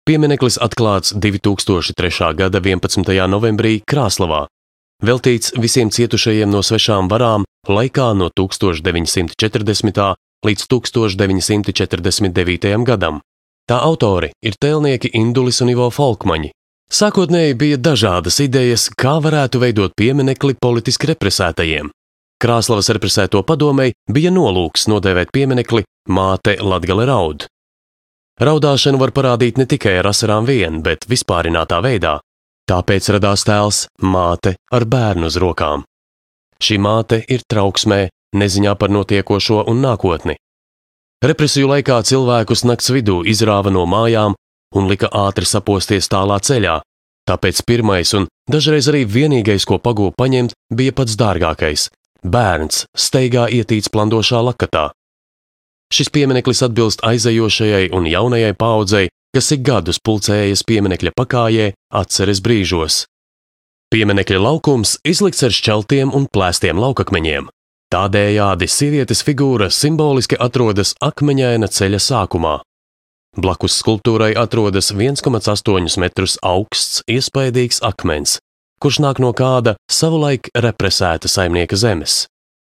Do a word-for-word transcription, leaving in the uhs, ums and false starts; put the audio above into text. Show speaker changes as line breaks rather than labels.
Piemineklis atklāts divi tūkstoši trešā gada vienpadsmitajā novembrī Krāslavā, veltīts visiem cietušajiem no svešām varām laikā no tūkstoš deviņi simti četrdesmitā līdz tūkstoš deviņi simti četrdesmit devītajam gadam. Tā autori ir tēlnieki Indulis un Ivo Folkmaņi. Sākotnēji bija dažādas idejas, kā varētu veidot pieminekli politiski represētajiem. Krāslavas represēto padomei bija nolūks nodēvēt pieminekli Māte Latgale raud. Raudāšanu var parādīt ne tikai ar asarām vien, bet vispārinātā veidā. Tāpēc radās tēls māte ar bērnu uz rokām. Šī māte ir trauksmē, neziņā par notiekošo un nākotni. Represiju laikā cilvēkus nakts vidū izrāva no mājām un lika ātri saposties tālā ceļā, tāpēc pirmais un dažreiz arī vienīgais, ko pagūva paņemt, bija pats dārgākais – bērns steigā ietīts plandošā lakatā. Šis piemineklis atbilst aizejošajai un jaunajai paaudzei, kas ik gadus pulcējas pieminekļa pakājē atceres brīžos. Pieminekļa laukums izlikts ar šķeltiem un plēstiem laukakmeņiem. Tādējādi sievietes figūra simboliski atrodas akmeņaina ceļa sākumā. Blakus skulptūrai atrodas viens komats astoņus metrus augsts, iespaidīgs akmens, kurš nāk no kāda savulaik represēta saimnieka zemes.